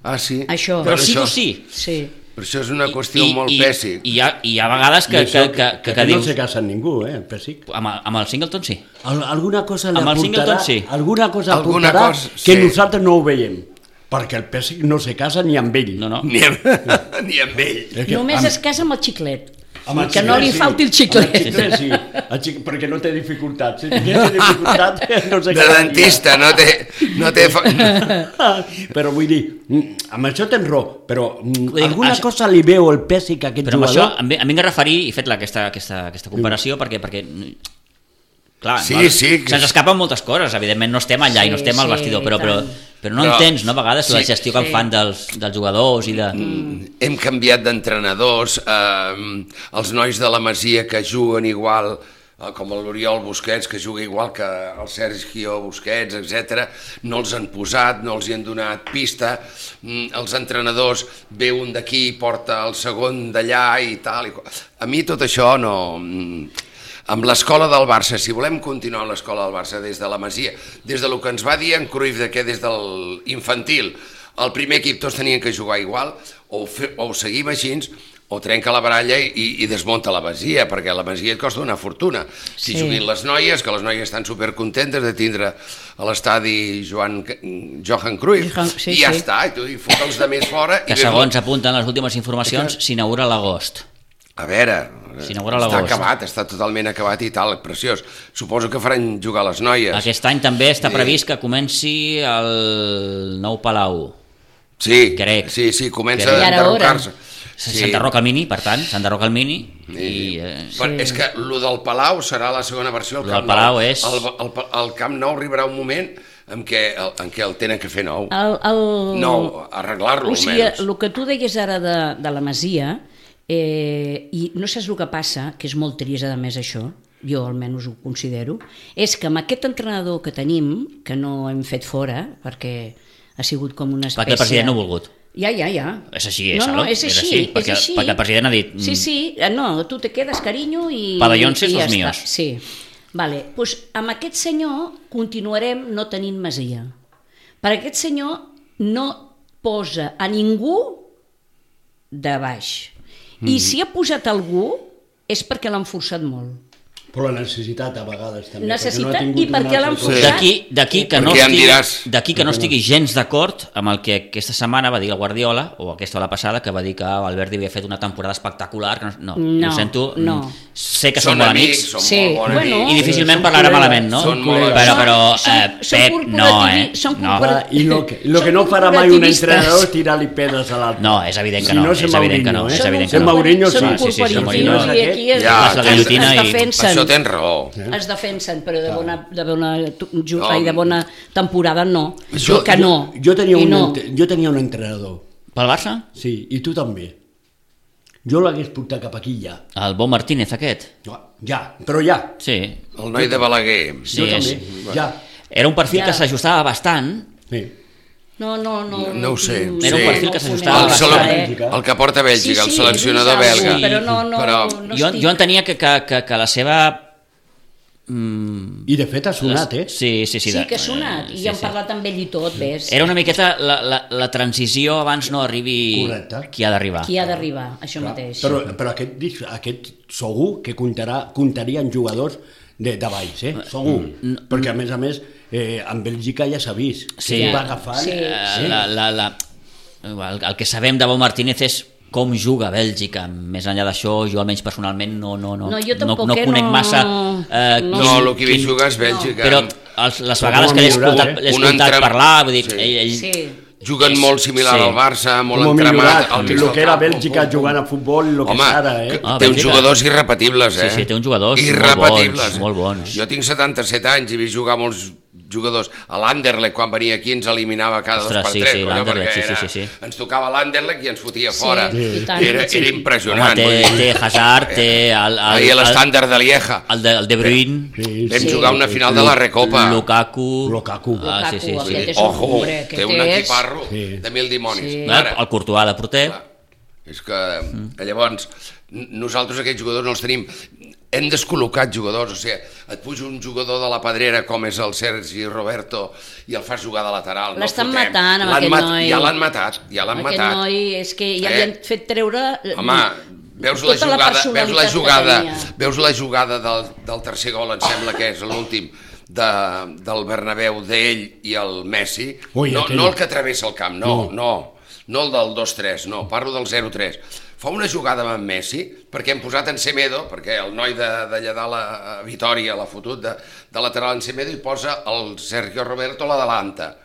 Ah, sí? Això. però Per sí això, o sí. Sí. Per això és una qüestió molt i, pèssic. I hi ha, i hi ha vegades que, I això que, que, que, que no dius... se casa amb ningú, eh, el Pessic. Amb, el- amb el Singleton sí. Al, alguna cosa li Amb el aportarà, Singleton, sí. alguna cosa Alguna aportarà cosa, que sí. nosaltres no ho veiem. Perquè el Pessic no se casa ni amb ell. No, no. Ni amb, ni amb ell. És que Només amb- es casa amb el xiclet. amb el que no xiclet, li sí. falti el Amb xiclet. el xiclet, sí. El xic... Perquè no té dificultats. Si tingués dificultat, no se De casaria. dentista, no té... No té fa... Però vull dir, mm, amb això tens raó, però mm, Vull dir, alguna això- cosa li veu el Pessic a aquest Però amb això jugador. em, ve- em vinc a referir, i he fet la, aquesta, aquesta, aquesta comparació, perquè, perquè Clar, Sí, no? sí. Se'ns escapen moltes coses, evidentment no estem allà Sí, i no estem al sí, vestidor, però, però, tant. però no Però- entens, no, a vegades, la sí, gestió que en sí. fan dels, dels jugadors i de... Hem canviat d'entrenadors, eh, els nois de la Masia que juguen igual, eh, com l'Oriol Busquets, que juga igual que el Sergio Busquets, etcètera, no els han posat, no els hi han donat pista, mm, els entrenadors, ve un d'aquí i porta el segon d'allà i tal. I qual. A mi tot això no... Amb l'escola del Barça, si volem continuar amb l'escola del Barça des de la Masia, des de lo que ens va dir en Cruyff de que des de l'infantil el primer equip tots tenien que jugar igual, o, fe, o ho seguim així, o trenca la baralla i, i desmunta la Masia, perquè la Masia et costa una fortuna. Si Sí. juguin les noies, que les noies estan supercontentes de tindre a l'estadi Joan, Johan Cruyff, Johan, sí, i ja sí. està, i tu hi fot els de més fora. Que i ves- segons apunten les últimes informacions, s'inaugura a l'agost. A veure, S'inaugura a està l'agost. acabat, està totalment acabat i tal, preciós. Suposo que faran jugar les noies. Aquest any també està Sí. previst que comenci el nou Palau. Sí, Crec. sí, sí, comença Crec. a I ara enderrocar-se. Sí. S'enderroca el Mini, per tant, s'enderroca el Mini. I, eh, Però és que el del Palau serà la segona versió. El Lo Camp del Palau Nou. és- El, el, el Camp Nou arribarà un moment en què el, en què el tenen que fer nou. El, el... Nou, arreglar-lo O sigui, almenys. el que tu deies ara de, de la Masia, eh, i no saps el que passa, que és molt trist a més això, jo almenys ho considero, és que amb aquest entrenador que tenim, que no hem fet fora, perquè ha sigut com una espècie... perquè el president no ha volgut. Ja, ja, ja. És així, és, no, no, Aló? és És així, així, és perquè- així. perquè el president ha dit, Sí, mm. sí, eh, no, tu te quedes, carinyo, i... Pavellons i és ja els està. míos. Sí. Vale, doncs amb aquest senyor continuarem no tenint masia. Perquè aquest senyor no posa a ningú de baix. I si ha posat algú és perquè l'han forçat molt. Però la necessitat a vegades també. Necessitat perquè no ha tingut i per una què l'han altra forçat? cosa. D'aquí d'aquí que, no Perquè ja em estigui, diràs. d'aquí que no estigui gens d'acord amb el que aquesta setmana va dir el Guardiola, o aquesta o la passada, que va dir que Alberti havia fet una temporada espectacular. Que no, no, No, ho sento. no. Sé que Són són bons amics, amics, són Sí, molt bons bueno. amics. i difícilment Són parlarà col·legues, malament, no? són molt però, col·legues. però Són- eh, són Pep, no, corporativi- eh? són No. corporativi- Ah, I lo que, lo que no Són farà mai un corporativistes. entrenador és tirar-li pedres a l'altre. No, és evident que Si no, no, és és evident que no, Mourinho, és eh? evident que Són no. Mourinho, són sí, sí, sí, són corporatius Mourinho. i aquí es, Ja, es, la es, guillotina es i- defensen. Això tens raó. Es defensen, però de bona, de bona, ju- No. ai, de bona temporada no. Jo, que no. Jo, jo, tenia I un, no. ent- jo tenia un entrenador, Pel Barça? sí, i tu també. Jo l'hagués portat cap aquí ja. El Bo Martínez aquest? No, ja, però ja. Sí. El noi de Balaguer. Sí, jo és- també, ja. Era un perfil Ja. que s'ajustava bastant. Sí. No, no, no. No, no ho sé. Era un Sí. perfil que s'ajustava El, bastant. sele- eh? el que porta Bèlgica, el seleccionador he vist belga. alguna, Però no, no, Però- no jo, estic... jo entenia que, que, que, que la seva... Mm, I de fet ha sonat, eh? Sí, sí, sí. Sí, de- que ha sonat, i sí, hem sí. parlat amb ell i tot, ves. Era una miqueta la, la, la transició abans no arribi Correcte. qui ha d'arribar. Qui ha d'arribar, això Clar, mateix. Però, però aquest, dis- aquest segur que comptarà, comptaria amb jugadors de, de baix, eh? Segur. Perquè, a més a més, eh, en Bèlgica ja s'ha vist. Sí. Que va agafant... Sí. Eh, la, la, la, el, el que sabem de Bo Martínez és com juga Bèlgica. Més enllà d'això, jo almenys personalment no, no, no, No, jo tampoc, no, no eh, conec no- massa eh, no. No, el que he vist jugar és Bèlgica. però els, les Però vegades com que ha l'he millorat, escoltat, eh? l'he Un escoltat entren- parlar, vull dir, Sí. ell, ell, Sí. Juguen És- molt similar sí. al Barça, molt Com ha entremat. millorat, al mig el del que era camp, Bèlgica pum, pum, jugant a futbol i el que Home, és ara, eh? que Ah, té uns Bèlgica. jugadors irrepetibles, eh? Sí, sí, té uns jugadors molt irrepetibles. bons, molt bons. Jo tinc setanta-set anys i he vist jugar molts jugadors. A l'Anderlecht, quan venia aquí, ens eliminava cada Ostres, dos per sí, tres. sí, colló, l'Anderlecht, perquè sí, sí, era- sí, sí. Ens tocava l'Anderlecht i ens fotia Sí, fora. i tant. Era, Sí. era Home, impressionant. té, vull dir. té Hazard, té el, el, Ahir el, l'estàndard de Lieja. el, de, el De Bruyne, Sí, Vam sí. jugar una final de la Recopa. Lukaku... Lukaku. Ah, sí, sí, Lukaku, sí. aquest és un Ojo, hombre, aquest té un és- equiparro Sí. de mil dimonis. Sí. Ara, El Courtois de porter. clar, és que mm. llavors n- nosaltres aquests jugadors no els tenim. Hem descol·locat jugadors, o sigui, et puja un jugador de la Pedrera com és el Sergi Roberto i el fas jugar de lateral. no L'estan el fotem. matant, amb L'han aquest mat- noi. Ja l'han matat, ja l'han Aquest matat. noi és que ja Eh? li han fet treure... eh, Home, veus la tota la jugada, veus la personalitat que jugada, tenia. veus la jugada del, del tercer gol, em sembla que és l'últim de, del Bernabéu, d'ell i el Messi. Ui, no, aquell- no el que travessa el camp, no, No. no, no el del dos tres, no, parlo del zero tres. Fa una jugada amb en Messi, perquè hem posat en Semedo, perquè el noi de- d'allà dalt a Vitòria l'ha fotut de, de lateral en Semedo i posa el Sergio Roberto a l'adelanta.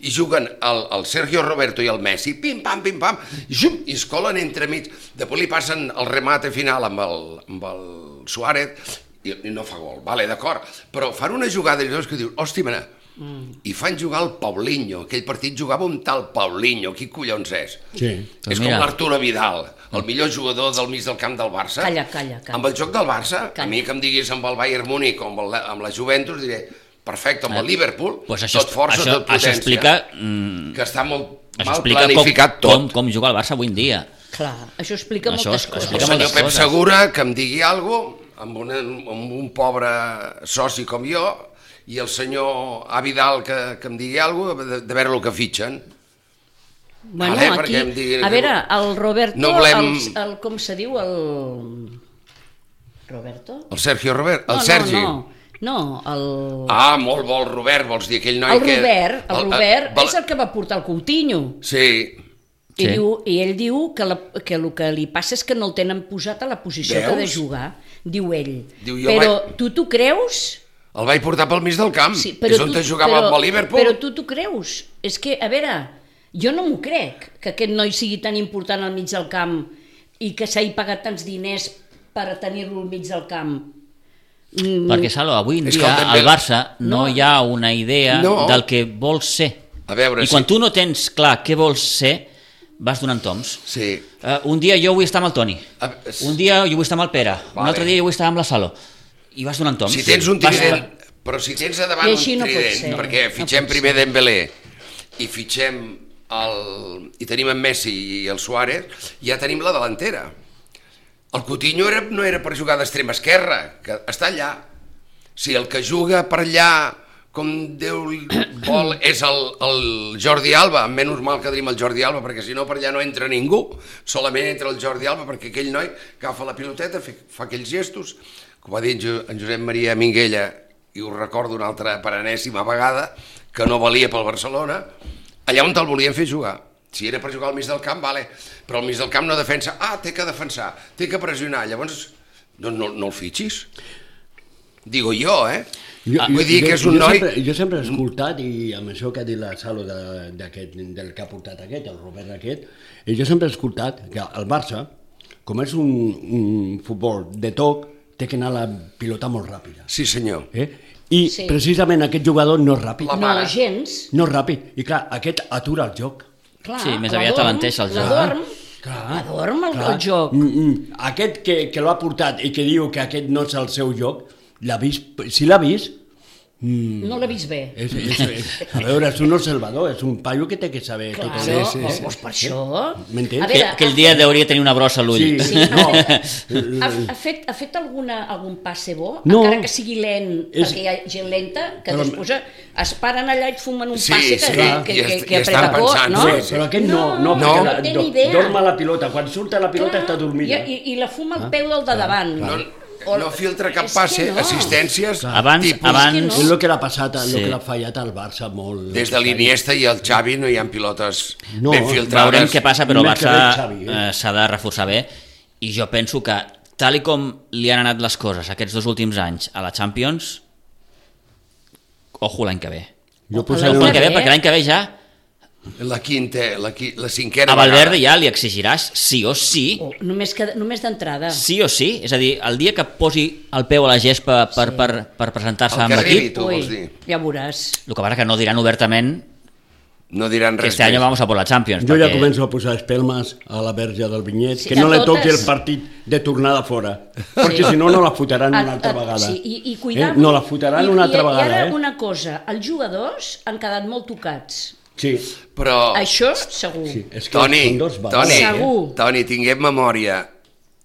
I juguen el, el Sergio Roberto i el Messi, pim-pam, pim-pam, i, xum, i es colen entremig. Després li passen el remate final amb el, amb el Suárez i, i no fa gol, vale, d'acord, però fan una jugada i que dius, hòstia, mare, mm. i fan jugar el Paulinho, aquell partit jugava un tal Paulinho, qui collons és? Sí. És com l'Arturo Vidal, el millor jugador del mig del camp del Barça. Calla, calla, calla. Amb el joc del Barça, calla. A mi que em diguis amb el Bayern Múnich o amb, el, amb la Juventus, diré, perfecte, amb el Liverpool, pues això, tot força, això, tot potència, això explica, mm, que està molt això mal explica planificat com, tot. Com, com juga el Barça avui en dia. Clar, això explica Això moltes es- coses. explica El senyor moltes Pep coses. Segura que em digui alguna cosa, amb, una, amb un pobre soci com jo, i el senyor A. Vidal que, que em digui alguna cosa, de, de veure el que fitxen. Bueno, Vale, aquí, perquè em diguin a que- veure, el Roberto, No volem- el, el, com se diu, el... Roberto? El Sergio Robert, el no, Sergi. No, no, no, el... Ah, molt bo el Robert, vols dir, aquell noi el que... Robert, el Robert el, és el que va portar el Coutinho. Sí, I, Sí. diu, I ell diu que, la, que el que li passa és que no el tenen posat a la posició Veus? que ha de jugar, diu ell. Diu, jo però vaig- tu t'ho creus? el vaig portar pel mig del camp, Sí, és on tu- jugava però, amb el Liverpool. Però tu t'ho creus? És que, a veure, jo no m'ho crec, que aquest noi sigui tan important al mig del camp i que s'hagi pagat tants diners per tenir-lo al mig del camp. Mm, Perquè, Salo, avui en És que dia el Dembélé- al Barça no, No. hi ha una idea No. del que vols ser. A veure, I quan sí. tu no tens clar què vols ser, vas donant toms. Sí. Uh, un dia jo vull estar amb el Toni, A- s- un dia jo vull estar amb el Pere, un Vale. altre dia jo vull estar amb la Salo. I vas donant toms. Si tens un Vas- trident, però si tens a davant I un així no pot trident, ser, perquè no fitxem pot primer Dembélé i fitxem el... i tenim en Messi i el Suárez, ja tenim la delantera. El Coutinho era, no era per jugar d'extrema esquerra, que està allà. Si el que juga per allà, com Déu vol, és el, el Jordi Alba, menys mal que tenim el Jordi Alba, perquè si no per allà no entra ningú, solament entra el Jordi Alba, perquè aquell noi agafa la piloteta, fa, fa aquells gestos, com va dir en, Jo, en Josep Maria Minguella, i ho recordo una altra per enèsima vegada, que no valia pel Barcelona, allà on te'l volien fer jugar. Si era per jugar al mig del camp, vale, però al mig del camp no defensa, ah, té que defensar, té que pressionar, llavors no, no, no el fitxis. Digo jo, eh? Jo, Vull dir que és un jo noi... Sempre, jo sempre he escoltat, i amb això que ha dit la Salo de, d'aquest, del que ha portat aquest, el Robert aquest, i jo sempre he escoltat que el Barça, com és un, un futbol de toc, té que anar la pilota molt ràpida. Sí, senyor. Eh? I Sí. precisament aquest jugador no és ràpid. La no, mare. gens. No és ràpid. I clar, aquest atura el joc. Clar, Sí, més aviat l'adorm, alenteix el joc. l'adorm, Clar. l'adorm el, Clar. el joc. Mm, mm. Aquest que, que l'ha portat i que diu que aquest no és el seu joc, l'ha vist, si l'ha vist, mm, No l'ha vist bé. és, és, és, a veure, és un observador, és un paio que té que saber Clar, tot sí, això. sí, sí. Doncs per això... M'entens? A Que, veure, aquell dia hauria de tenir una brossa a l'ull. Sí, Sí, no. Ha, ha, fet, ha fet alguna, algun passe bo? No. Encara que sigui lent, És- perquè hi ha gent lenta, que Però- després es paren allà i et fumen un Sí, passe que, sí, que, i que, est- que, i estan apreta cor, pensant, no? sí, Sí, però aquest no, no, No, perquè no la, té do, ni idea. dorma la pilota, quan surt a la pilota Clar, està dormida. I, i, i la fuma al peu del de davant. No, O- no filtra cap és que passe, no. assistències, Abans- tipus... abans- És que És no. el que l'ha passat, Sí. el que l'ha fallat al Barça molt. Des de l'Iniesta i el Xavi no hi ha pilotes No, ben filtrades. Veurem què passa, però el Més que Barça bé, Xavi, eh? eh, s'ha de reforçar bé, i jo penso que tal i com li han anat les coses aquests dos últims anys a la Champions, ojo l'any que ve. Jo Ojo posaré l'any una... que ve, perquè l'any que ve ja La quinta, la, qui, la cinquena a Valverde vegada. ja li exigiràs sí o sí, O només, que, només d'entrada. sí o sí, és a dir, el dia que posi el peu a la gespa per, Sí. per, per presentar-se El amb que arribi, l'equip, tu Ui, vols dir. ja veuràs. el que passa que no diran obertament No diran que res este año més. vamos a por la Champions, Jo ja perquè començo a posar espelmes a la verge del Vinyet, Sí, que no a li toqui el totes. partit de tornada fora, perquè si no, no la fotran A- una altra a- vegada. Sí, i, i cuidar... Eh? No la fotran una altra I, vegada, I ara eh? una cosa, els jugadors han quedat molt tocats. Sí, Però, Això segur. sí, és que Toni, són dos valors. Toni, Segur. Toni, tinguem memòria.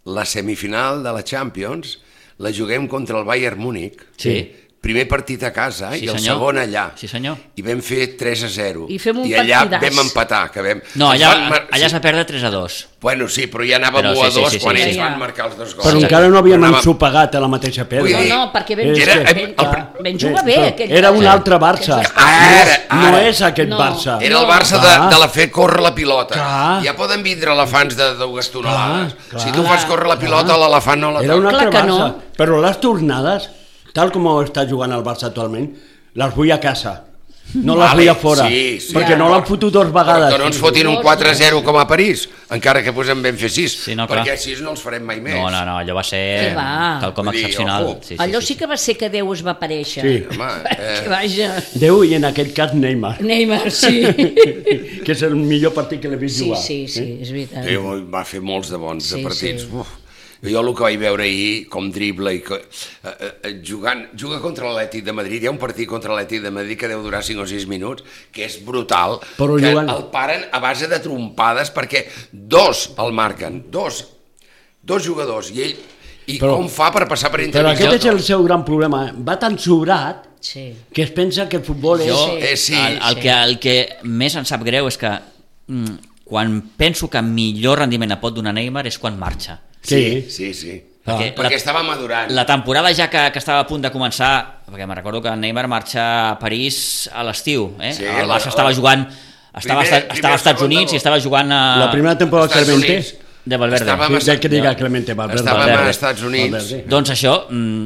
La semifinal de la Champions la juguem contra el Bayern Múnich. Sí. Primer partit a casa Sí, i el senyor. segon allà. Sí, senyor. I vam fer tres a zero. I fem un I allà partidàs. vam empatar. Que vam... No, ens allà, van mar- allà sí. s'ha perdre tres a dos. Bueno, sí, però ja anàvem Però u a sí, sí, dos sí, quan sí, ells sí. van marcar els dos gols. Però Exacte. encara no havíem Anàvem- ensopegat a la mateixa pedra. Vull No, dir, no, perquè vam, És Era- jugar, el- vam, el- vam jugar bé. Però aquell era un Barça. altre Barça. Ara, No ara. és aquest No. Barça. Era el No. Barça de, Clar. de la fer córrer la pilota. Clar. Ja poden vindre elefants de dues tonelades. Clar, Si clar. tu fas córrer la pilota, Clar. l'elefant no la Era un toca. altre Clar que Barça. no. Però les tornades, tal com està jugant el Barça actualment, les vull a casa. no la Vale, feia fora, sí, sí. perquè no l'han fotut dues Però vegades. que no ens fotin un quatre a zero com a París, encara que posem ben fer sis, Sí, no, clar. perquè així no els farem mai més. No, no, no, allò va ser Què va? quelcom Vull dir, excepcional. ojo. Sí, sí, Allò sí, sí que va ser que Déu es va aparèixer. Sí. Home, Que eh, vaja. Déu i en aquest cas Neymar, Neymar, sí. que és el millor partit que l'he vist Sí, jugar. sí, sí, és veritat. Déu va fer molts de bons Sí, de partits. sí. Uf. Jo el que vaig veure ahir, com dribla i que, eh, eh, jugant, juga contra l'Atlètic de Madrid, hi ha un partit contra l'Atlètic de Madrid que deu durar cinc o sis minuts, que és brutal, Però que jugant- el paren a base de trompades perquè dos el marquen, dos, dos jugadors, i ell, i Però- com fa per passar per Però intervenció? aquest és el seu gran problema. Va tan sobrat Sí. que es pensa que el futbol és... Jo, Eh, sí, el, el, sí. que, el que més em sap greu és que mm, quan penso que millor rendiment et pot donar Neymar és quan marxa. Sí, sí, sí. Ah. Perquè Perquè la- estava madurant. La temporada ja que, que estava a punt de començar, perquè me recordo que Neymar marxa a París a l'estiu, eh? Sí, el la- Barça estava jugant, estava, Primer- estava primer, als Estats segon Units de- i estava jugant a... La primera temporada Estats Clemente... Units. de Valverde. Estàvem a- Sí, que diga Clemente Valverde. Estàvem Valverde. als Estats Units. Valverde. Doncs això, mm,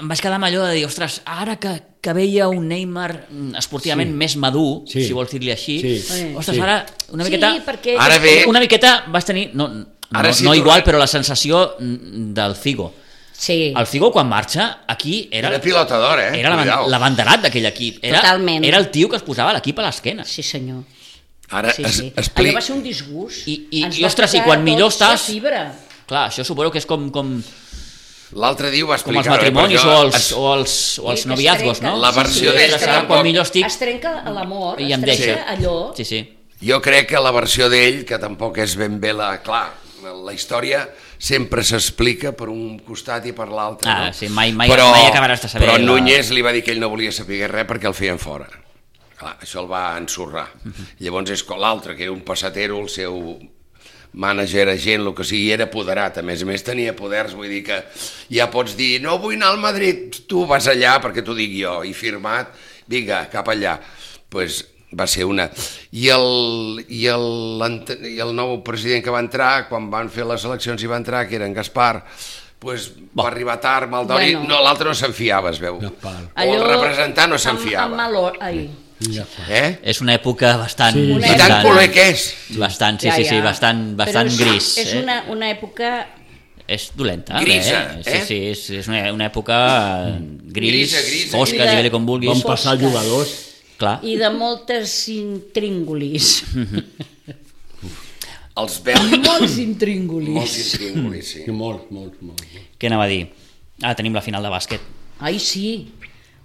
em vaig quedar amb allò de dir, ostres, ara que, que veia un Neymar mm, esportivament Sí. més madur, Sí. si vols dir-li així, Sí. ostres, Sí. ara una Sí, miqueta... perquè... Ara ve- Una miqueta vas tenir... No, no, Ara sí no tornem- igual, però la sensació mm, del Figo. Sí. El Figo, quan marxa, aquí era... Era pilota d'or, eh? Era l'aban- Cuidao. l'abanderat d'aquell equip. Era, Totalment. Era el tio que es posava l'equip a l'esquena. Sí, senyor. Ara Sí, es, sí. expli... Allò va ser un disgust. I- i- Ens i, va ostres, i tocar quan millor tots la estàs- fibra. Clar, això suposo que és com, com, L'altre dia ho va com els explicar. matrimonis perquè o els, es- o els, o els Sí, que es noviazgos, trenca. no? La versió Sí, d'ell es que Ara, tampoc- quan millor estic... Es trenca l'amor, I es em trenca deixa. allò. Sí, sí. Jo crec que la versió d'ell, que tampoc és ben bé la... Clar, la història sempre s'explica per un costat i per l'altre. Ah, no? sí, mai- mai- mai acabaràs de saber Però la- Núñez li va dir que ell no volia saber res perquè el feien fora. Clar, això el va ensorrar. Llavors és com l'altre, que era un passatero, el seu mànager, agent, el que sigui, era apoderat. A més a més tenia poders, vull dir que ja pots dir, no vull anar al Madrid, tu vas allà perquè t'ho dic jo, i firmat, vinga, cap allà. Pues va ser una... I el, i, el, I el nou president que va entrar, quan van fer les eleccions i va entrar, que era en Gaspar, pues va arribar tard, Maldoni, Bueno. no, l'altre no se'n fiava, es veu. Gaspar. O el representant no se'n Amb, fiava. amb malor, ai. Ja fa. Eh? És una època bastant... Sí. I Una tan època- culer que és. Bastant, sí, Ja, sí, sí, ja. bastant, bastant Però és, gris. És eh? una, una època... És dolenta. Grisa, eh? Sí, eh? sí, és, és una, una època gris, Grisa, grisa. fosca, I de- digue-li com vulguis. Van passar Fosca. jugadors. Clar. I de moltes intríngulis. Els veus... Molts Molts intríngulis. intríngulis, sí. Sí, molt, molt, molt. Què anava a dir? Ah, tenim la final de bàsquet. Ai, sí.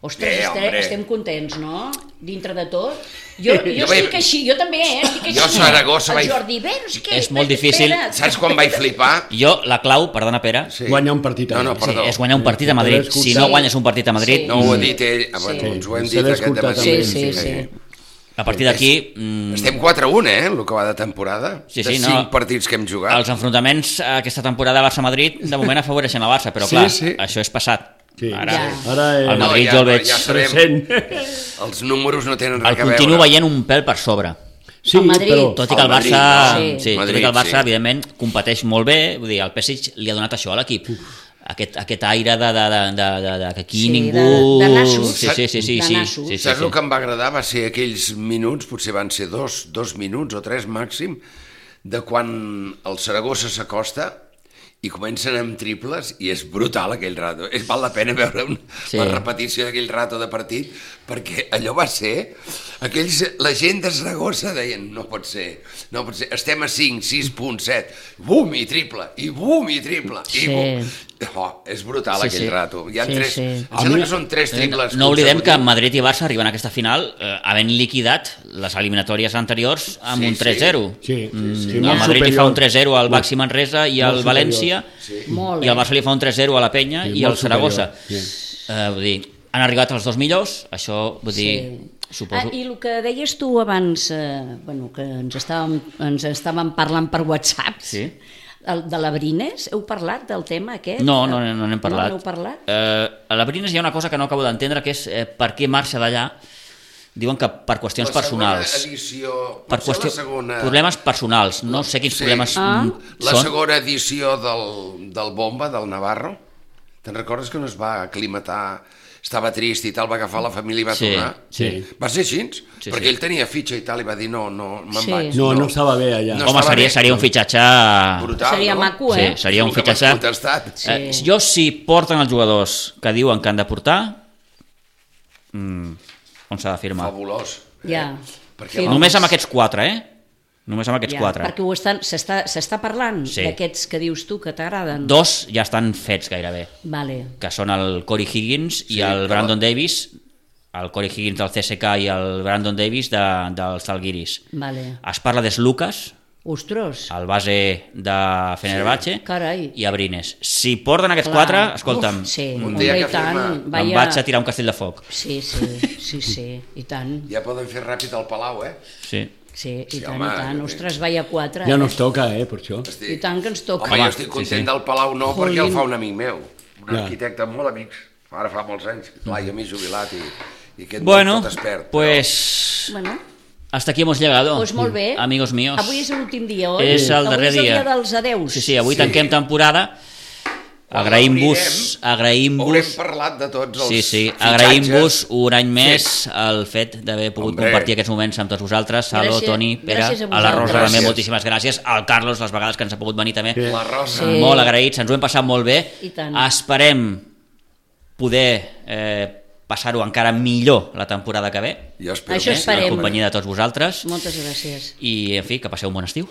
Ostres, Eh, estem, hombre. estem contents, no? Dintre de tot. Jo, jo Jo estic vaig- així, jo també, eh? Estic així. Jo a Saragossa El vaig- Jordi, bé, no sé què. És molt espera't, difícil. espera't. Saps quan vaig flipar? Jo, la clau, perdona Pere, Sí. Guanyar un partit a No, no, Madrid. sí, perdó. és guanyar un partit a Madrid. Sí. Si no guanyes un partit a Madrid, Sí. No ho ha dit ell, ah, bueno, Sí. ens ho hem S'ha dit aquest d'escoltar dematí. també. Sí, sí, sí. a partir d'aquí... mm, Estem quatre a un, eh, el que va de temporada. Sí, de sí, no. cinc partits que hem jugat. Els enfrontaments a aquesta temporada Barça-Madrid de moment afavoreixen el Barça, però Sí, clar, sí. això és passat. Sí. Ara, Ja. Ara és... el Madrid No, ja- jo el veig... ja sabem. present. Els números no tenen res El a veure. continuo veient un pèl per sobre. Sí, El Madrid. però... Tot i que el El Madrid, Barça, no? sí. Sí. Sí, tot i Madrid, que el Barça, sí. evidentment, competeix molt bé, vull dir, el P S G li ha donat això a l'equip. Aquest, aquest aire de, de, de, de, de, de que aquí Sí, ningú... de- de nassos. Sí, sí, sí, sí, De sí, nassos. sí, sí, Saps sí. el que em va agradar? Va ser aquells minuts, potser van ser dos, dos minuts o tres màxim, de quan el Saragossa s'acosta i comencen amb triples i és brutal aquell rato. És val la pena veure un, Sí. sí. la repetició d'aquell rato de partit perquè allò va ser... Aquells, la gent de Saragossa deien no pot ser, no pot ser, estem a cinc, sis punt set, bum i triple, i bum i triple, i Sí. bum. Oh, és brutal Sí, aquell sí. rato. Hi ha Sí, tres, sí. em sembla que són tres triples. No oblidem que consecutius. Madrid i Barça arriben a aquesta final eh, havent liquidat les eliminatòries anteriors amb Sí, un tres zero. Sí, sí, Mm, sí, el molt Madrid li fa superior. un tres zero al Molt- Baxi Manresa i molt al superior. València Molt, i el eh? Barça li fa un tres zero a la Penya Sí, i molt al Saragossa. superior, sí. Eh, vull dir, han arribat els dos millors, això vull dir, suposo... Ah, I el que deies tu abans, eh, bueno, que ens estàvem, ens estàvem parlant per WhatsApp, Sí. el, de l'Abrines, heu parlat del tema aquest? No, no, no n'hem parlat. No n'heu parlat? Eh, a la Brines hi ha una cosa que no acabo d'entendre, que és eh, per què marxa d'allà. Diuen que per qüestions La segona personals. edició, Per potser qüestió... la segona... Problemes personals. No sé quins Sí. problemes Ah. mm, La són. segona edició del, del Bomba, del Navarro, Te'n recordes que no es va aclimatar, estava trist i tal, va agafar la família i va Sí, tornar? sí. Va ser així? Sí, Perquè sí. ell tenia fitxa i tal, i va dir, no, no, me'n Sí. vaig. No, no estava bé allà. No Home, estava seria, bé. seria un fitxatge... Brutal, Seria no? maco, eh? Sí, seria un El que m'has fitxatge... contestat. Sí. Eh, jo, si porten els jugadors que diuen que han de portar, mm, on s'ha de firmar? Fabulós. Ja. Perquè Sí, la- Només amb aquests quatre, eh? Només amb aquests Ja, quatre. perquè ho estan, s'està, s'està parlant Sí. d'aquests que dius tu que t'agraden. Dos ja estan fets gairebé, Vale. que són el Corey Higgins i Sí, el que Brandon va- Davis, el Corey Higgins del C S K i el Brandon Davis de, dels Zalgiris. Vale. Es parla de Lucas, Ostros. el base de Fenerbahce, Carai. i Abrines. Si porten aquests Clar. quatre, escolta'm, Uf, sí, un un dia dia que i tant. firma. em Vaya... vaig a tirar un castell de foc. Sí, sí, sí, sí, i tant. Ja poden fer ràpid al Palau, eh? Sí. Sí, i Sí, tant, home, i tant. eh. Ostres, vaya quatre. Ja eh? no es toca, eh, per això. Estic... I tant que ens toca. Home, Home, jo estic sí, content sí. del Palau, no, Jolín. perquè el fa un amic meu, un Ja. arquitecte molt amics, ara fa molts anys, clar, jo m'he jubilat i, i aquest Bueno, tot expert. pues... Bueno, Hasta aquí hemos llegado. doncs molt bé. Amigos míos. Avui és l'últim dia, oi? És el darrer Avui és el dia. dia dels adeus. Sí, sí, avui Sí. tanquem temporada. Quan Agraïm-vos, l'obrirem, Haurem agraïm-vos, parlat de tots els sí, sí, fitxatges. agraïm-vos un any més Sí. el fet d'haver pogut Hombre. compartir aquests moments amb tots vosaltres, Salo, Gràcies- Toni, Pere, gràcies a a la Rosa vosaltres. també, Gràcies. moltíssimes gràcies, al Carlos, les vegades que ens ha pogut venir també, Sí. La Rosa. Sí. molt agraïts, ens ho hem passat molt bé, I tant. esperem poder eh, passar-ho encara millor la temporada que ve, Jo espero Això que sí, esperem. en home. companyia de tots vosaltres, Moltes gràcies. i en fi, que passeu un bon estiu.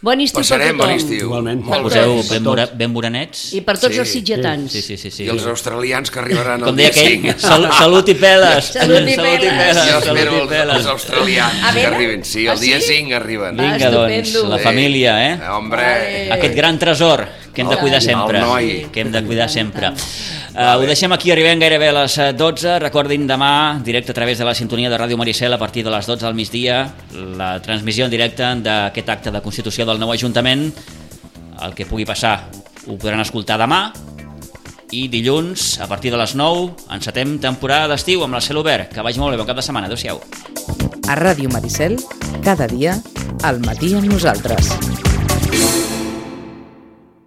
Bon estiu Passarem per bon tothom. estiu. Igualment. Molt Per bé. Poseu tots. ben, mora, ben morenets. I per tots Sí. els sitgetans. Sí, sí, sí, sí. I els australians que arribaran Com el deia dia aquell, cinc. sal, salut i peles. Salut i peles. Jo salut espero i els, peles. els australians A que veure? arriben. Sí, Ah, el dia sí? cinc arriben. Ah, Vinga, doncs, estupendo. la Sí. família, eh? Eh, Hombre. Vale. Aquest gran tresor que hem de cuidar El sempre. noi. Que hem de cuidar sempre. Tant. Uh, ho deixem aquí, arribem gairebé a les eh, dotze. Recordin demà, directe a través de la sintonia de Ràdio Maricel, a partir de les dotze del migdia, la transmissió en directe d'aquest acte de constitució del nou Ajuntament. El que pugui passar ho podran escoltar demà. I dilluns, a partir de les nou, encetem temporada d'estiu amb el cel obert. Que vagi molt bé, bon cap de setmana. Adéu-siau. A Ràdio Maricel, cada dia, al matí amb nosaltres.